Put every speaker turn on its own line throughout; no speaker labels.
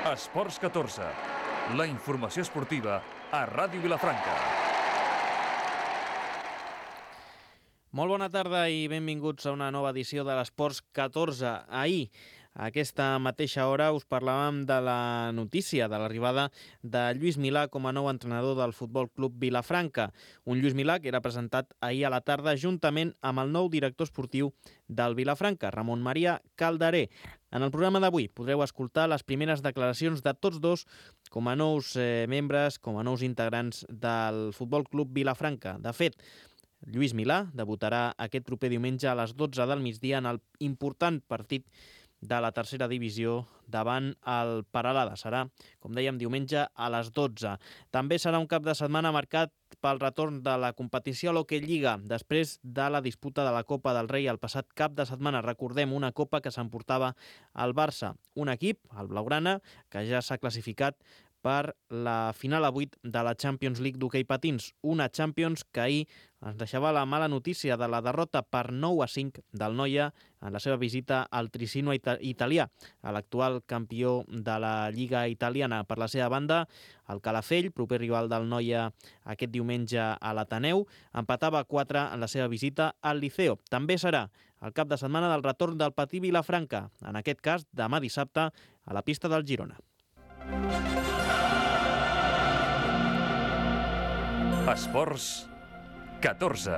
Esports 14, la informació esportiva a Ràdio Vilafranca.
Molt bona tarda i benvinguts a una nova edició de l'Esports 14. Ahir, a aquesta mateixa hora, us parlàvem de la notícia de l'arribada de Lluís Milà com a nou entrenador del Futbol Club Vilafranca. Un Lluís Milà que era presentat ahir a la tarda juntament amb el nou director esportiu del Vilafranca, Ramon Maria Calderé. En el programa d'avui podreu escoltar les primeres declaracions de tots dos com a nous membres, com a nous integrants del Futbol Club Vilafranca. De fet, Lluís Milà debutarà aquest proper diumenge a les 12 del migdia en el important partit de la tercera divisió davant el Peralada. Serà, com dèiem, diumenge a les 12. També serà un cap de setmana marcat pel retorn de la competició a l'Hockey Lliga després de la disputa de la Copa del Rei el passat cap de setmana. Recordem, una copa que s'emportava el Barça, un equip, el Blaugrana, que ja s'ha classificat per la final a 8 de la Champions League d'hoquei patins. Una Champions que ahir ens deixava la mala notícia de la derrota per 9-5 del Noia en la seva visita al Tricino italià, a l'actual campió de la Lliga italiana. Per la seva banda, el Calafell, proper rival del Noia aquest diumenge a l'Ateneu, empatava 4 en la seva visita al Liceo. També serà el cap de setmana del retorn del Patí Vilafranca, en aquest cas demà dissabte a la pista del Girona.
Esports 14.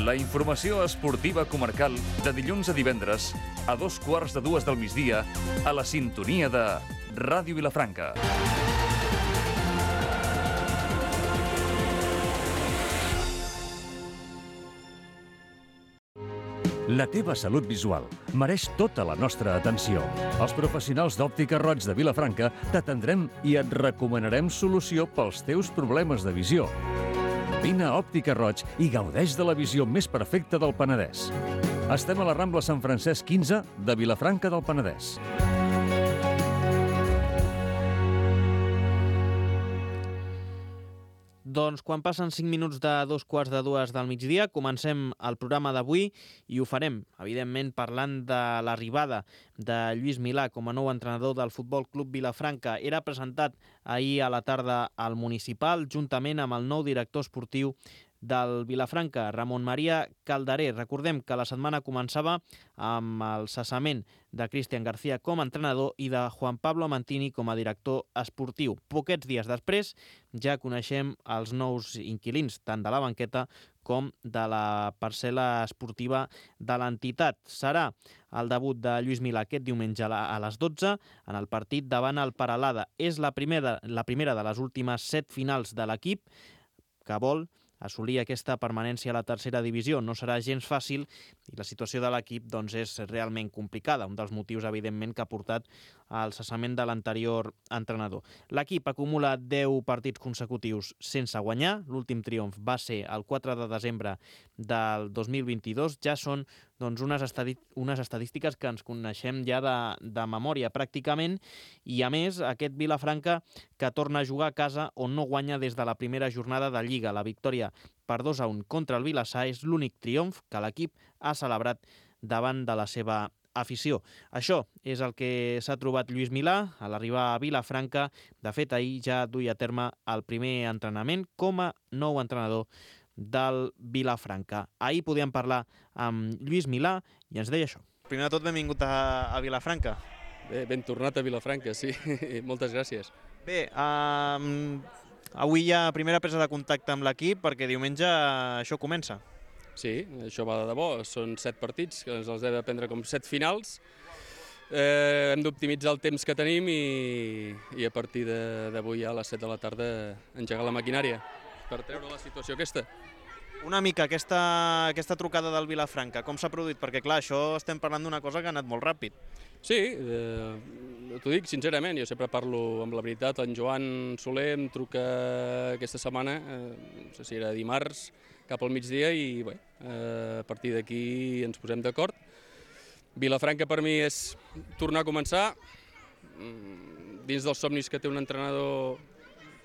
La informació esportiva comarcal de dilluns a divendres a 2:15 del migdia a la sintonia de Ràdio Vilafranca. La teva salut visual mereix tota la nostra atenció. Els professionals d'Òptica Roig de Vilafranca t'atendrem i et recomanarem solució pels teus problemes de visió. Vine a Òptica Roig i gaudeix de la visió més perfecta del Penedès. Estem a la Rambla Sant Francesc 15 de Vilafranca del Penedès.
Doncs quan passen 5 minuts de 2:15 del migdia, comencem el programa d'avui i ho farem, evidentment, parlant de l'arribada de Lluís Milà com a nou entrenador del Futbol Club Vilafranca. Era presentat ahir a la tarda al Municipal, juntament amb el nou director esportiu del Vilafranca, Ramon Maria Calderé. Recordem que la setmana començava amb el cessament de Cristian García com a entrenador i de Juan Pablo Mantini com a director esportiu. Poquets dies després ja coneixem els nous inquilins, tant de la banqueta com de la parcel·la esportiva de l'entitat. Serà el debut de Lluís Milà aquest diumenge a les 12 en el partit davant el Peralada. És la primera de les últimes 7 finals de l'equip que vol assolir aquesta permanència a la tercera divisió. No serà gens fàcil i la situació de l'equip doncs, és realment complicada, un dels motius, evidentment, que ha portat al cessament de l'anterior entrenador. L'equip acumula 10 partits consecutius sense guanyar. L'últim triomf va ser el 4 de desembre del 2022. Ja són doncs, unes estadístiques que ens coneixem ja de memòria pràcticament, i a més aquest Vilafranca que torna a jugar a casa on no guanya des de la primera jornada de Lliga. La victòria per 2-1 contra el Vilassar és l'únic triomf que l'equip ha celebrat davant de la seva afició. Això és el que s'ha trobat Lluís Milà a l'arribar a Vilafranca. De fet, ahir ja duia a terme el primer entrenament com a nou entrenador del Vilafranca. Ahir podíem parlar amb Lluís Milà i ens deia això. Primer de tot, benvingut a Vilafranca.
Bé, ben tornat a Vilafranca, sí. Moltes gràcies.
Bé, avui hi ha primera presa de contacte amb l'equip perquè diumenge això comença.
Sí, això va de debò. Són 7 partits, que ens els hem de prendre com 7 finals. Hem d'optimitzar el temps que tenim i a partir d'avui a les 7 de la tarda engegar la maquinària per treure la situació aquesta.
Una mica aquesta trucada del Vilafranca, com s'ha produït? Perquè clar, això estem parlant d'una cosa que ha anat molt ràpid.
Sí, t'ho dic sincerament, jo sempre parlo amb la veritat. En Joan Soler em truca aquesta setmana, no sé si era dimarts, cap al migdia, i bé, a partir d'aquí ens posem d'acord. Vilafranca per mi és tornar a començar, dins dels somnis que té un entrenador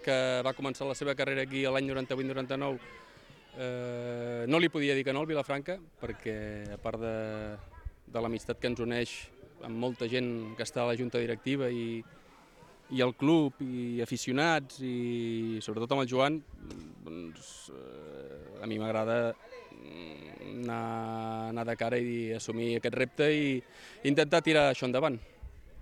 que va començar la seva carrera aquí l'any 98-99, no li podia dir que no al Vilafranca, perquè a part de l'amistat que ens uneix amb molta gent que està a la junta directiva i el club i aficionats i sobretot amb el Joan, doncs, a mi m'agrada anar de cara i assumir aquest repte i intentar tirar això endavant.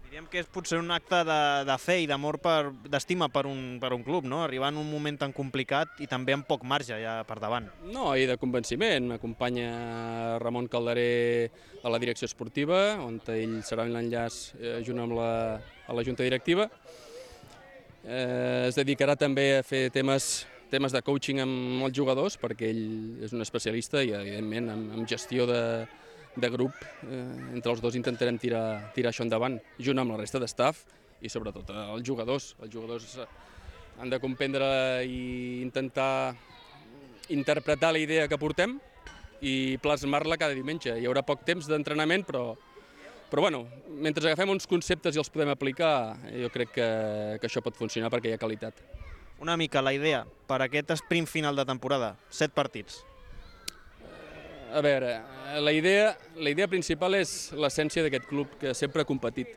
Diríem que és potser un acte de fe i d'amor, d'estima per un club, no? Arribar en un moment tan complicat i també amb poc marge ja per davant.
No, i de convenciment. M'acompanya Ramon Calderé a la direcció esportiva, on ell serà l'enllaç junt amb la junta directiva. Es dedicarà també a fer temes de coaching amb els jugadors, perquè ell és un especialista i, evidentment, amb gestió de grup, entre els dos intentarem tirar això endavant, junt amb la resta de staff i sobretot els jugadors. Els jugadors han de comprendre i intentar interpretar la idea que portem i plasmar-la cada diumenge. Hi haurà poc temps d'entrenament, però bueno, mentre agafem uns conceptes i els podem aplicar, jo crec que això pot funcionar perquè hi ha qualitat.
Una mica la idea per aquest sprint final de temporada, 7 partits.
A veure, la idea principal és l'essència d'aquest club, que sempre ha competit.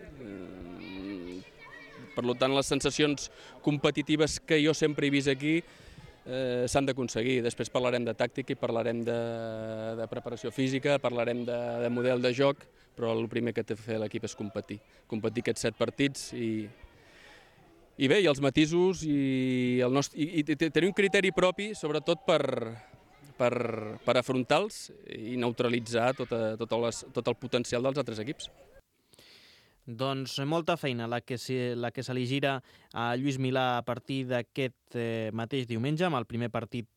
Per tant, les sensacions competitives que jo sempre he vist aquí s'han d'aconseguir. Després parlarem de tàctica i parlarem de preparació física, parlarem de model de joc, però el primer que té de fer l'equip és competir aquests 7 partits i bé, i els matisos i tenir un criteri propi, sobretot per afrontar-los i neutralitzar tot el potencial dels altres equips.
Doncs molta feina la que se li gira a Lluís Milà a partir d'aquest mateix diumenge, amb el primer partit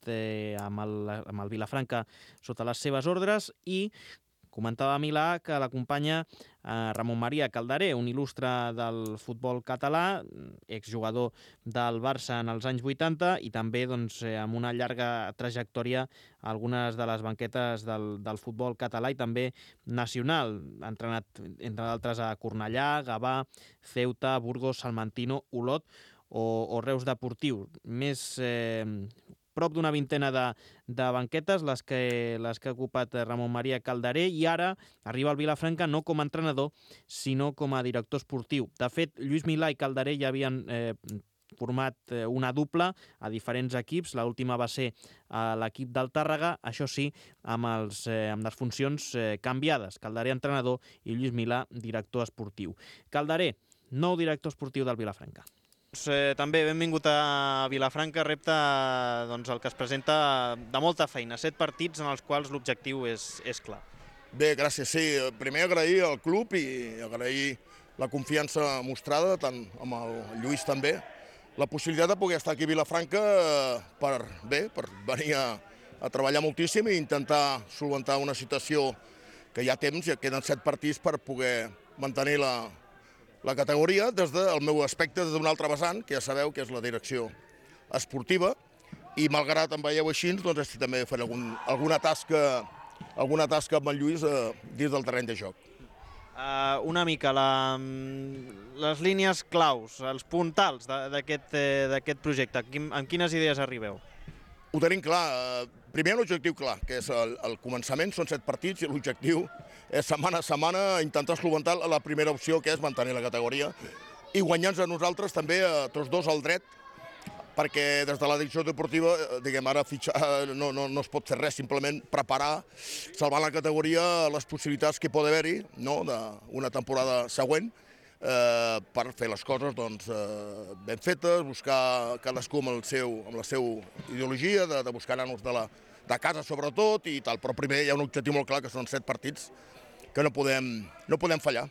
amb el Vilafranca sota les seves ordres, i comentava Milà que l'acompanya Ramon Maria Calderé, un il·lustre del futbol català, exjugador del Barça en els anys 80 i també amb una llarga trajectòria a algunes de les banquetes del futbol català i també nacional. Ha entrenat, entre d'altres, a Cornellà, Gavà, Ceuta, Burgos, Salmantino, Olot o Reus Deportiu. Més prop d'una vintena de banquetes les que ha ocupat Ramon Maria Calderé, i ara arriba al Vilafranca no com a entrenador, sinó com a director esportiu. De fet, Lluís Milà i Calderé ja havien format una dupla a diferents equips. L'última va ser a l'equip del Tàrrega, això sí, amb les funcions canviades. Calderé entrenador i Lluís Milà director esportiu. Calderé, nou director esportiu del Vilafranca. També benvingut a Vilafranca, repte el que es presenta de molta feina, 7 partits en els quals l'objectiu és clar.
Bé, gràcies, sí. Primer agrair al club i agrair la confiança mostrada, tant amb el Lluís també, la possibilitat de poder estar aquí a Vilafranca per venir a treballar moltíssim i intentar solventar una situació que hi ha temps, ja queden 7 partits per poder mantenir la categoria des del meu aspecte, des d'un altre vessant, que ja sabeu que és la direcció esportiva, i malgrat em veieu així, doncs estic també fent alguna tasca amb en Lluís dins del terreny de joc.
Una mica les línies claus, els puntals d'aquest projecte, amb quines idees arribeu?
Ho tenim clar. Primer l'objectiu clar, que és el començament, són 7 partits i l'objectiu és setmana a setmana intentar solventar la primera opció, que és mantenir la categoria, i guanyar-nos a nosaltres també tots dos el dret, perquè des de la direcció deportiva, diguem, ara no es pot fer res, simplement preparar, salvar la categoria, les possibilitats que pot haver-hi d'una temporada següent, per fer les coses ben fetes, buscar cadascú amb la seva ideologia, de buscar nanos de casa sobretot i tal, però primer hi ha un objectiu molt clar, que són 7 partits que no podem fallar.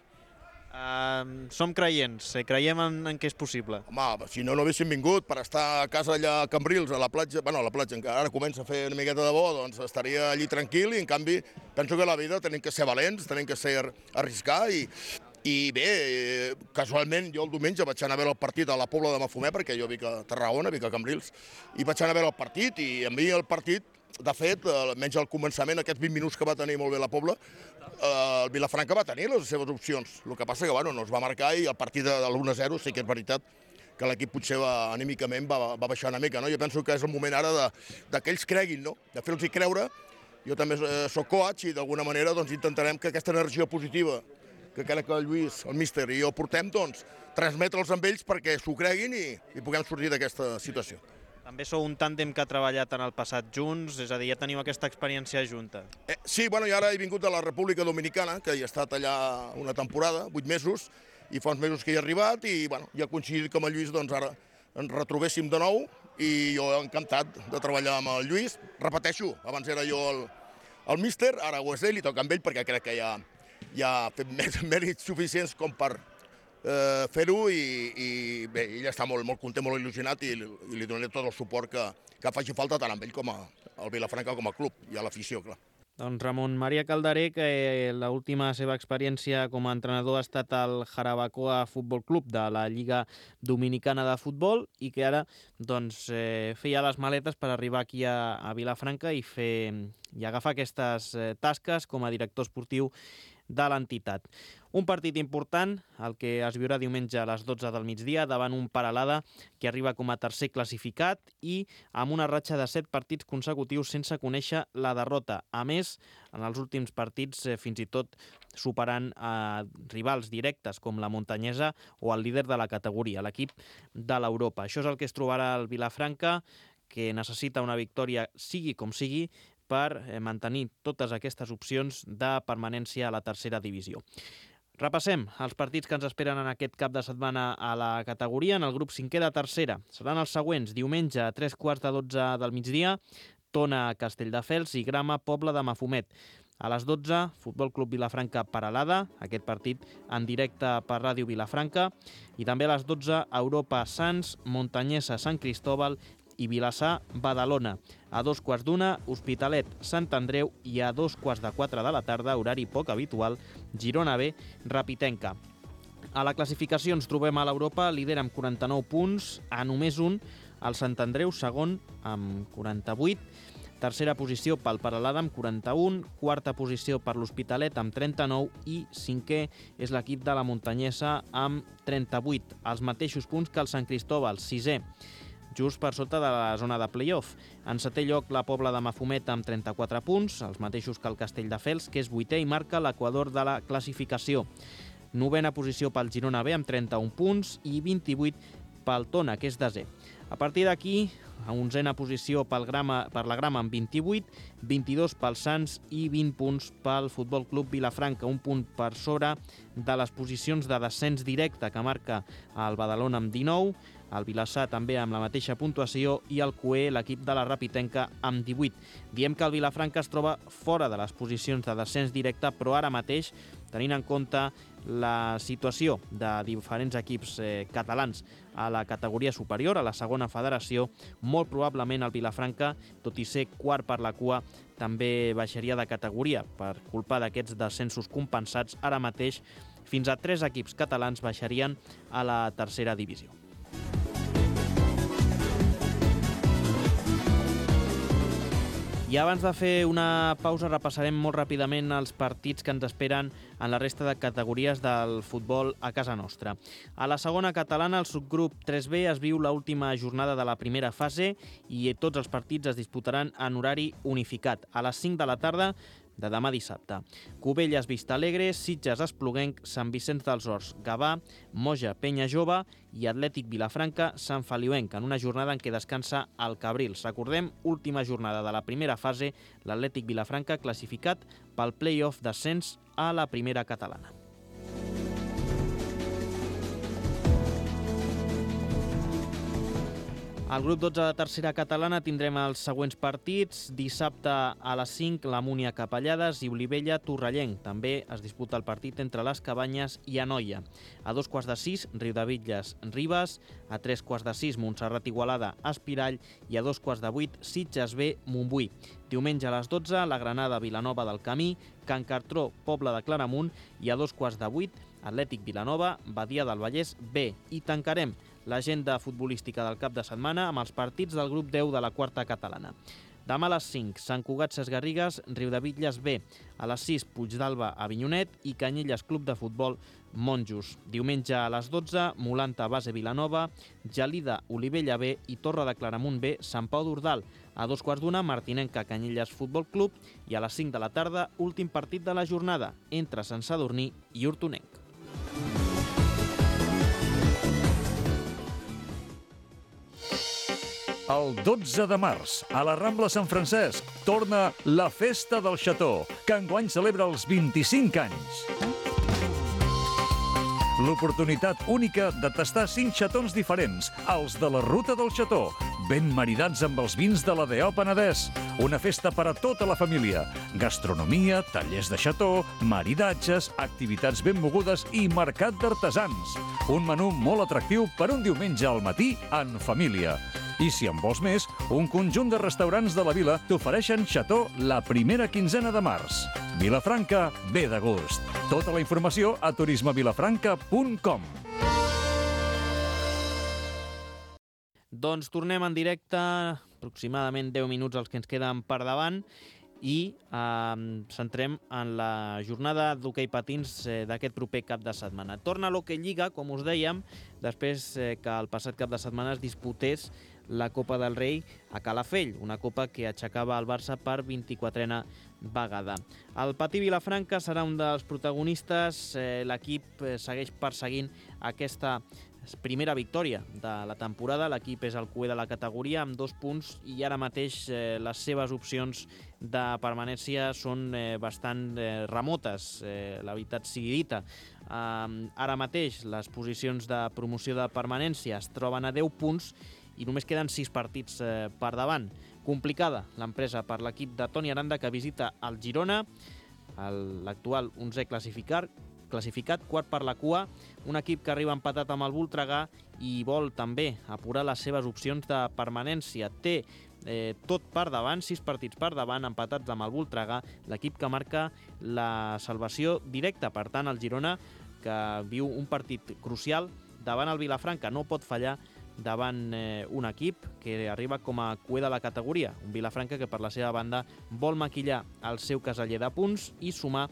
Som creients, creiem en què és possible.
Home, si no haguéssim vingut per estar a casa allà a Cambrils, a la platja, encara ara comença a fer una miqueta de bo, doncs estaria allí tranquil, i en canvi penso que a la vida tenim que ser valents, tenim que arriscar, i bé, casualment jo el diumenge vaig anar a veure el partit a la Pobla de Mafumet, perquè jo vic a Tarragona, vic a Cambrils, i vaig anar a veure el partit, i a mi el partit, de fet, almenys al començament, aquests 20 minuts que va tenir molt bé la Pobla, el Vilafranca va tenir les seves opcions. El que passa que no es va marcar, i el partit de l'1-0 sí que és veritat que l'equip potser anímicament va baixar una mica. Jo penso que és el moment ara que ells creguin, de fer-los creure. Jo també soc coach i d'alguna manera intentarem que aquesta energia positiva que crec que el Lluís, el míster i jo portem, doncs, transmetre'ls amb ells perquè s'ho creguin i puguem sortir d'aquesta situació.
També sou un tàndem que ha treballat en el passat junts, és a dir, ja teniu aquesta experiència junta.
Sí, bueno, i ara he vingut de la República Dominicana, que hi he estat allà una temporada, 8 mesos, i fa uns mesos que hi he arribat i bueno, ja ha coincidit com el Lluís, doncs ara ens retrobéssim de nou i jo encantat de treballar amb el Lluís. Repeteixo, abans era jo el míster, ara ho és ell i toca amb ell perquè crec que ja ha fet mèrits suficients com per fer-ho i bé, ell està molt content, molt il·lusionat i li donaré tot el suport que faci falta tant amb ell com al Vilafranca com a club i a l'afició, clar.
Doncs Ramon Maria Calderé, que l'última seva experiència com a entrenador ha estat al Jarabacoa Futbol Club de la Lliga Dominicana de Futbol i que ara doncs, feia les maletes per arribar aquí a Vilafranca i agafar aquestes tasques com a director esportiu de l'entitat. Un partit important, el que es viurà diumenge a les 12 del migdia, davant un Peralada que arriba com a tercer classificat i amb una ratxa de 7 partits consecutius sense conèixer la derrota. A més, en els últims partits, fins i tot superant rivals directes com la Montanyesa o el líder de la categoria, l'equip de l'Europa. Això és el que es trobarà al Vilafranca, que necessita una victòria sigui com sigui, per mantenir totes aquestes opcions de permanència a la tercera divisió. Repassem els partits que ens esperen en aquest cap de setmana a la categoria. En el grup 5è de tercera seran els següents. Diumenge a 3:15 del migdia, Tona Castelldefels i Grama Pobla de Mafumet. A les 12, Futbol Club Vilafranca Peralada, aquest partit en directe per Ràdio Vilafranca. I també a les 12, Europa Sants, Montanyesa Sant Cristóbal i Vilassar Badalona. A 2:15, Hospitalet Sant Andreu i a 3:45 de la tarda, horari poc habitual, Girona B Rapitenca. A la classificació ens trobem a l'Europa, líder amb 49 punts, a només un, el Sant Andreu, segon amb 48, tercera posició pel Peralada amb 41, quarta posició per l'Hospitalet amb 39 i cinquè és l'equip de la Montanyesa amb 38, els mateixos punts que el Sant Cristóbal, sisè, just per sota de la zona de play-off. En setè lloc, la Pobla de Mafumet amb 34 punts, els mateixos que el Castelldefels, que és vuitè i marca l'equador de la classificació. Novena posició pel Girona B amb 31 punts i 28 pel Tona, que és desè. A partir d'aquí, a onzena posició per la Grama amb 28, 22 pel Sants i 20 punts pel Futbol Club Vilafranca, un punt per sobre de les posicions de descens directe que marca el Badalona amb 19, el Vilassar també amb la mateixa puntuació i el CUE, l'equip de la Rapitenca, amb 18. Diem que el Vilafranca es troba fora de les posicions de descens directe, però ara mateix, tenint en compte la situació de diferents equips catalans a la categoria superior, a la segona federació, molt probablement el Vilafranca, tot i ser quart per la cua, també baixaria de categoria per culpa d'aquests descensos compensats. Ara mateix, fins a 3 equips catalans baixarien a la tercera divisió. I abans de fer una pausa repassarem molt ràpidament els partits que ens esperen en la resta de categories del futbol a casa nostra. A la segona catalana, el subgrup 3B, es viu l'última jornada de la primera fase i tots els partits es disputaran en horari unificat, a les 5 de la tarda de demà dissabte. Cubelles Vistalegre, Sitges Espluguenc, Sant Vicenç dels Horts Gavà, Moja Penya Jove i Atlètic Vilafranca Sant Feliuenc, en una jornada en què descansa el Cabrils. Recordem, última jornada de la primera fase, l'Atlètic Vilafranca classificat pel play-off d'ascens a la primera catalana. Al grup 12 de tercera catalana tindrem els següents partits. Dissabte a les 5, la Múnia Capellades i Olivella Torrellenc. També es disputa el partit entre les Cabanyes i Anoia. A 2:15, Riudebitlles Ribes. A 3:15, Montserrat Igualada Espirall. I a 2:15, Sitges B Montbui. Diumenge a les 12, la Granada Vilanova del Camí, Can Cartró Pobla de Claramunt i a 2:15, Atlètic Vilanova Badia del Vallès B. I tancarem l'agenda futbolística del cap de setmana amb els partits del grup 10 de la quarta catalana. Demà a les 5, Sant Cugat Sesgarrigues, Riudebitlles B. A les 6, Puigdàlber Avinyonet i Canyelles Club de Futbol Monjos. Diumenge a les 12, Molanta Base Vilanova, Gelida Olivella B i Torre de Claramunt B, Sant Pau d'Ordal. A 2:15, Martinenca Canyelles Futbol Club i a les 5 de la tarda, últim partit de la jornada entre Sant Sadurní i Hortonenc.
El 12 de març, a la Rambla Sant Francesc, torna la Festa del Xató, que enguany celebra els 25 anys. L'oportunitat única de tastar 5 xatons diferents, els de la Ruta del Xató, ben maridats amb els vins de l'ADO Penedès. Una festa per a tota la família. Gastronomia, tallers de xató, maridatges, activitats ben mogudes i mercat d'artesans. Un menú molt atractiu per un diumenge al matí en família. I si en vols més, un conjunt de restaurants de la vila t'ofereixen xató la primera quinzena de març. Vilafranca ve de gust. Tota la informació a turismevilafranca.com.
Doncs tornem en directe, aproximadament 10 minuts els que ens queden per davant, i centrem en la jornada d'hoquei patins d'aquest proper cap de setmana. Torna l'Hoquei Lliga, com us dèiem, després que el passat cap de setmana es disputés la Copa del Rei a Calafell, una copa que aixecava el Barça per 24a vegada. El Patí Vilafranca serà un dels protagonistes. L'equip segueix perseguint aquesta primera victòria de la temporada. L'equip és el cuer de la categoria amb 2 punts i ara mateix les seves opcions de permanència són bastant remotes, la veritat sigui dita. Ara mateix les posicions de promoció de permanència es troben a 10 punts i només queden 6 partits per davant. Complicada l'empresa per l'equip de Toni Aranda, que visita el Girona, l'actual 11è classificat, quart per la cua, un equip que arriba empatat amb el Voltregà i vol també apurar les seves opcions de permanència. Té tot per davant, 6 partits per davant, empatats amb el Voltregà, l'equip que marca la salvació directa. Per tant, el Girona, que viu un partit crucial davant el Vilafranca, no pot fallar davant un equip que arriba com a cuer de la categoria. Un Vilafranca que, per la seva banda, vol maquillar el seu caseller de punts i sumar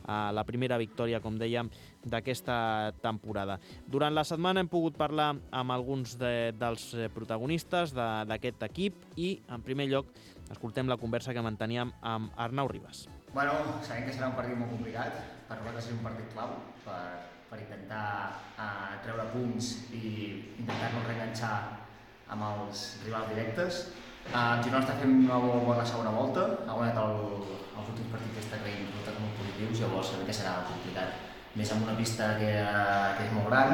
a la primera victòria, com dèiem, d'aquesta temporada. Durant la setmana hem pogut parlar amb alguns dels protagonistes d'aquest equip i, en primer lloc, escoltem la conversa que manteníem amb Arnau Ribas.
Bueno, sabem que serà un partit molt complicat. Per nosaltres és un partit clau per intentar treure punts i intentar-nos reenganxar amb els rivals directes. El Girona està fent una bona segona volta, ha guanyat els últims partits que està creient resultats molt positius, llavors sabem que serà complicat. Més amb una pista que és molt gran,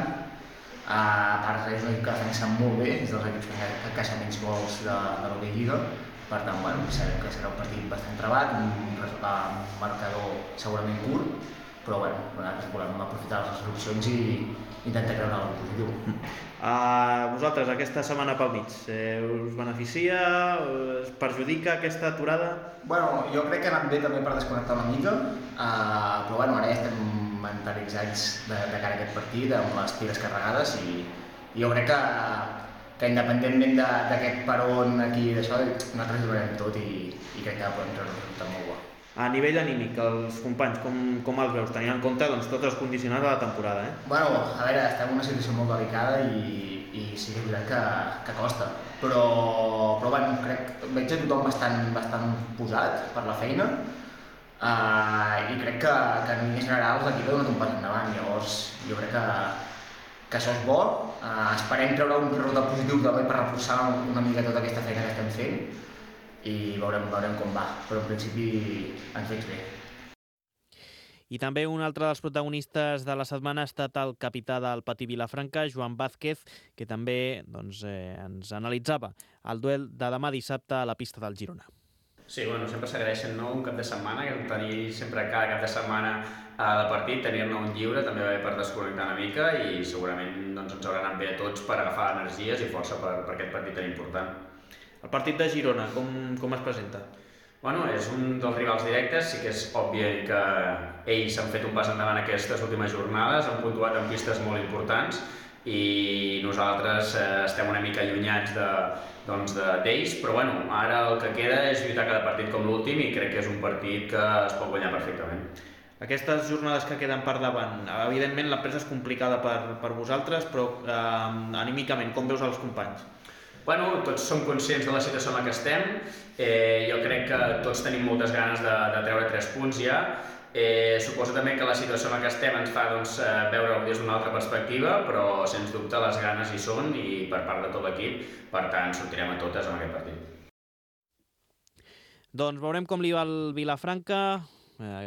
a part és un equip que defensa molt bé, és dels equips que encaixa menys gols de l'Hoquei Lliga, per tant, sabem que serà un partit bastant trebat, un marcador segurament curt, però nosaltres volem aprofitar les opcions i intentar creure algo positiu.
Vosaltres, aquesta setmana pel mig, us beneficia, us perjudica aquesta aturada?
Jo crec que ha anat bé també per desconnectar una mica, però ara ja estem mentalitzats de cara a aquest partit, amb les piles carregades, i jo crec que independentment d'aquest peron aquí i d'això, nosaltres ho donarem tot i crec que podem treure un resultat molt bo.
A nivell anímic, els companys, com els veus? Tenint en compte tots els condicionats de la temporada,
A veure, estem en una situació molt delicada i sí que és veritat que costa, però veig a tothom bastant posat per la feina i crec que en línies generals l'equip ha donat un pas endavant, llavors jo crec que això és bo. Esperem treure un resultat positiu també per reforçar una mica tota aquesta feina que estem fent i veurem com va, però en principi ens veig bé.
I també un altre dels protagonistes de la setmana ha estat el capità del Patí Vilafranca, Joan Vázquez, que també ens analitzava el duel de demà dissabte a la pista del Girona.
Sí, sempre s'agraeixen un cap de setmana, que tenir sempre cada cap de setmana de partit, tenir-ne un lliure també va bé per desconnectar una mica i segurament ens haurà anat bé a tots per agafar energies i força per aquest partit tan important.
El partit de Girona, com es presenta?
És un dels rivals directes, sí que és obvi que ells han fet un pas endavant aquestes últimes jornades, han puntuat en pistes molt importants i nosaltres estem una mica allunyats d'ells, però bueno, ara el que queda és lluitar cada partit com l'últim i crec que és un partit que es pot guanyar perfectament.
Aquestes jornades que queden per davant, evidentment la presa és complicada per vosaltres, però anímicament, com veus els companys?
Bueno, tots som conscients de la situació en la que estem. Jo crec que tots tenim moltes ganes de treure 3 punts ja. Suposo també que la situació en la que estem ens fa veure-ho des d'una altra perspectiva, però sens dubte les ganes hi són i per part de tot l'equip, per tant sortirem a totes en aquest partit.
Doncs veurem com li va el Vilafranca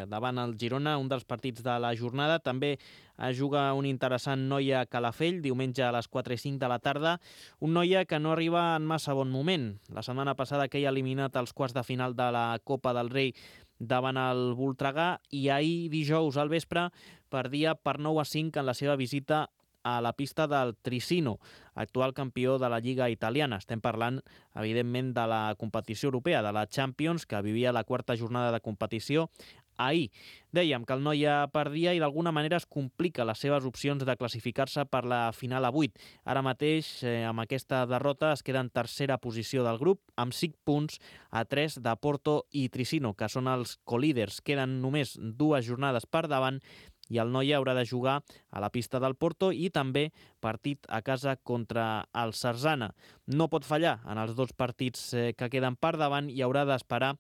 davant el Girona, un dels partits de la jornada. També es juga un interessant Noia-Calafell, diumenge a les 4:05 de la tarda. Un Noia que no arriba en massa bon moment. La setmana passada queia eliminat als quarts de final de la Copa del Rei davant el Voltregà i ahir dijous al vespre perdia per 9-5 en la seva visita a la pista del Tricino, actual campió de la Lliga italiana. Estem parlant, evidentment, de la competició europea, de la Champions, que vivia la 4ª jornada de competició ahir. Dèiem que el Noia perdia i d'alguna manera es complica les seves opcions de classificar-se per la final a 8. Ara mateix, amb aquesta derrota, es queda en tercera posició del grup, amb 5 punts a 3 de Porto i Tricino, que són els colíders. Queden només 2 jornades per davant i el Noia haurà de jugar a la pista del Porto i també partit a casa contra el Sarzana. No pot fallar en els 2 partits que queden per davant i haurà d'esperar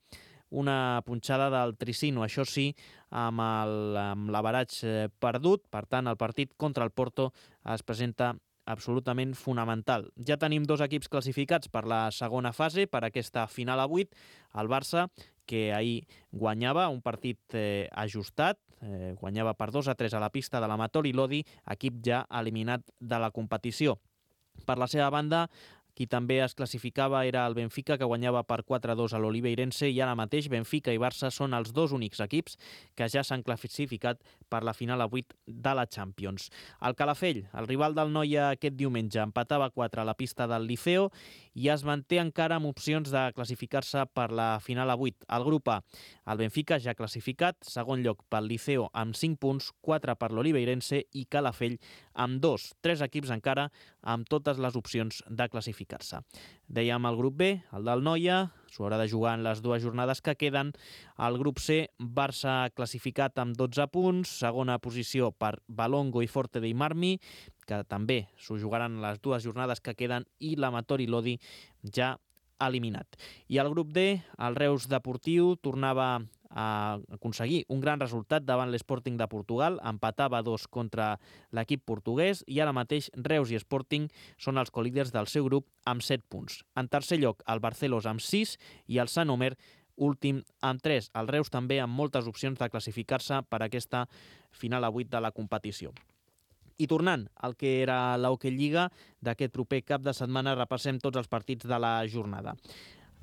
una punxada del Tricino, això sí, amb l'averatge perdut. Per tant, el partit contra el Porto es presenta absolutament fonamental. Ja tenim 2 equips classificats per la segona fase, per aquesta final a 8. El Barça, que ahir guanyava un partit ajustat, guanyava per 2-3 a la pista de l'Amatori Lodi, equip ja eliminat de la competició. Per la seva banda, qui també es classificava era el Benfica, que guanyava per 4-2 a l'Oliveirense, i ara mateix Benfica i Barça són els 2 únics equips que ja s'han classificat per la final a 8 de la Champions. El Calafell, el rival del Noia aquest diumenge, empatava 4 a la pista del Liceo i es manté encara amb opcions de classificar-se per la final a 8. El grup A, el Benfica ja classificat, segon lloc pel Liceo amb 5 punts, 4 per l'Oliveirense i Calafell amb 2. 3 equips encara amb totes les opcions de classificar-se. Dèiem el grup B, el del Noia, s'ho haurà de jugar en les 2 jornades que queden. El grup C, Barça classificat amb 12 punts, segona posició per Valongo i Forte dei Marmi, que també s'ho jugaran les 2 jornades que queden, i l'Amatori Lodi ja eliminat. I el grup D, el Reus Deportiu, tornava a aconseguir un gran resultat davant l'Sporting de Portugal, empatava 2 contra l'equip portuguès i ara mateix Reus i Sporting són els colíders del seu grup amb 7 punts. En tercer lloc, el Barcelos amb 6 i el Sant Omer últim amb 3. El Reus també amb moltes opcions de classificar-se per aquesta final a 8 de la competició. I tornant al que era l'Hockey Lliga d'aquest proper cap de setmana, repassem tots els partits de la jornada.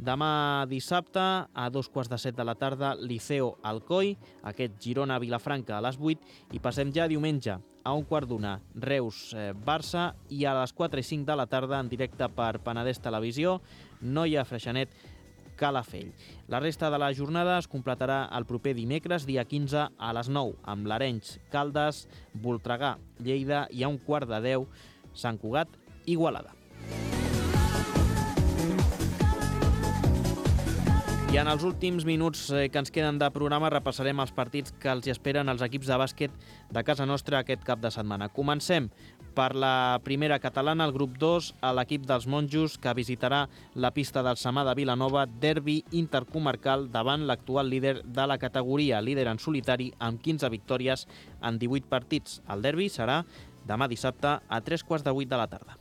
Demà dissabte, a 2:15 de la tarda, Liceo Alcoi, aquest Girona-Vilafranca a les 8, i passem ja diumenge a 1:15, Reus-Barça, i a les 4:05 de la tarda, en directe per Penedès Televisió, Noia-Freixenet, Calafell. La resta de la jornada es completarà el proper dimecres, dia 15, a les 9, amb l'Arenys, Caldes, Voltregà, Lleida, i a 1:15, Sant Cugat, Igualada. I en els últims minuts que ens queden de programa repassarem els partits que els esperen els equips de bàsquet de casa nostra aquest cap de setmana. Comencem per la primera catalana, el grup 2, a l'equip dels monjos, que visitarà la pista del Samà de Vilanova, derbi intercomarcal davant l'actual líder de la categoria, líder en solitari amb 15 victòries en 18 partits. El derbi serà demà dissabte a 7:45 de la tarda.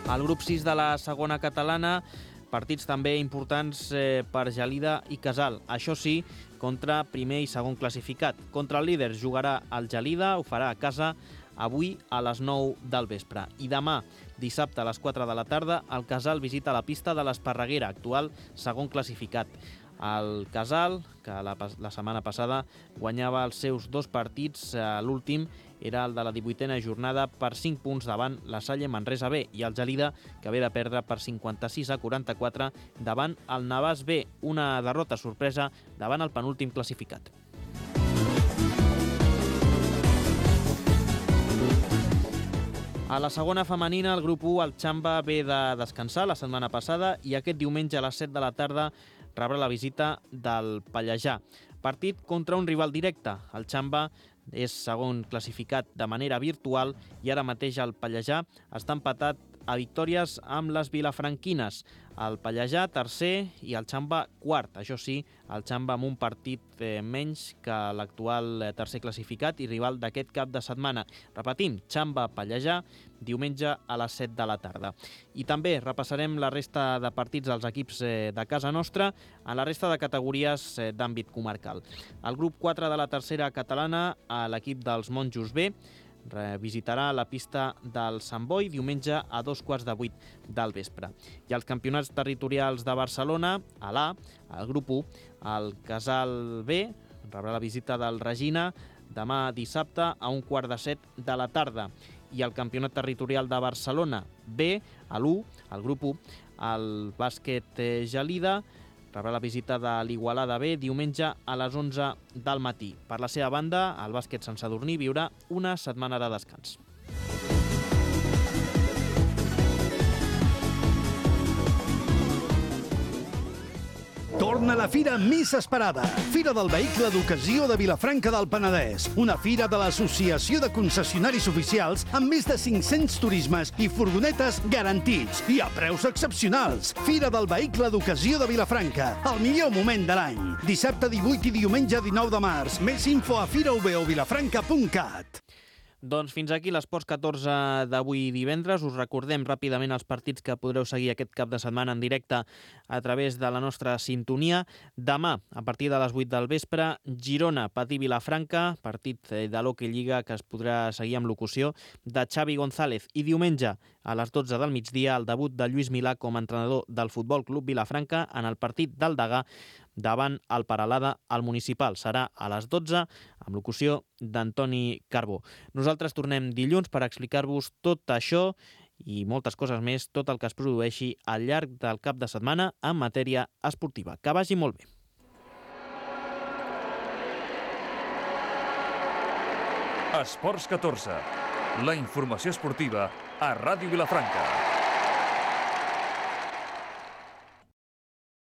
Al grup 6 de la segona catalana, partits també importants per Gelida i Casal. Això sí, contra primer i segon classificat. Contra el líder jugarà el Gelida, ho farà a casa avui a les 9 del vespre. I demà, dissabte a les 4 de la tarda, el Casal visita la pista de l'Esparreguera, actual segon classificat. El Casal, que la setmana passada guanyava els seus 2 partits, l'últim era el de la 18a jornada per 5 punts davant la Salle Manresa B, i el Gelida, que ve de perdre per 56-44 davant el Navàs B, una derrota sorpresa davant el penúltim classificat. A la segona femenina, el grup 1, el Xamba, ve de descansar la setmana passada i aquest diumenge a les 7 de la tarda rebrà la visita del Pallejà. Partit contra un rival directe. El Xamba és segon classificat de manera virtual i ara mateix el Pallejà està empatat a victòries amb les vilafranquines. El Pallejà, tercer, i el Xamba, quart. Això sí, el Xamba amb un partit menys que l'actual tercer classificat i rival d'aquest cap de setmana. Repetim, Xamba-Pallejà, diumenge a les 7 de la tarda. I també repassarem la resta de partits dels equips de casa nostra en la resta de categories d'àmbit comarcal. El grup 4 de la tercera catalana, l'equip dels Monjos B, visitarà la pista del Sant Boi diumenge a 7:15 del vespre. I els campionats territorials de Barcelona, a l'A, el grup 1, el Casal B rebrà la visita del Regina demà dissabte a 6:15 de la tarda. I el campionat territorial de Barcelona B, a l'1, el grup 1, el bàsquet Gelida rebrà la visita de l'Igualada B diumenge a les 11 del matí. Per la seva banda, el bàsquet Sant Sadurní viurà una setmana de descans.
Torna la fira més esperada. Fira del Vehicle d'Ocasió de Vilafranca del Penedès. Una fira de l'Associació de Concessionaris Oficials amb més de 500 turismes i furgonetes garantits i a preus excepcionals. Fira del Vehicle d'Ocasió de Vilafranca. El millor moment de l'any. Dissabte 18 i diumenge 19 de març. Més info a firaubeovilafranca.cat.
Doncs fins aquí l'Esports 14 d'avui divendres. Us recordem ràpidament els partits que podreu seguir aquest cap de setmana en directe a través de la nostra sintonia. Demà, a partir de les 8 del vespre, Girona, Patí Vilafranca, partit de l'Hockey Lliga que es podrà seguir amb locució de Xavi González. I diumenge, a les 12 del migdia, el debut de Lluís Milà com a entrenador del Futbol Club Vilafranca en el partit del Degà davant el Peralada al Municipal. Serà a les 12 amb locució d'Antoni Carbó. Nosaltres tornem dilluns per explicar-vos tot això i moltes coses més, tot el que es produeixi al llarg del cap de setmana en matèria esportiva. Que vagi molt bé.
Esports 14. La informació esportiva a Ràdio Vilafranca.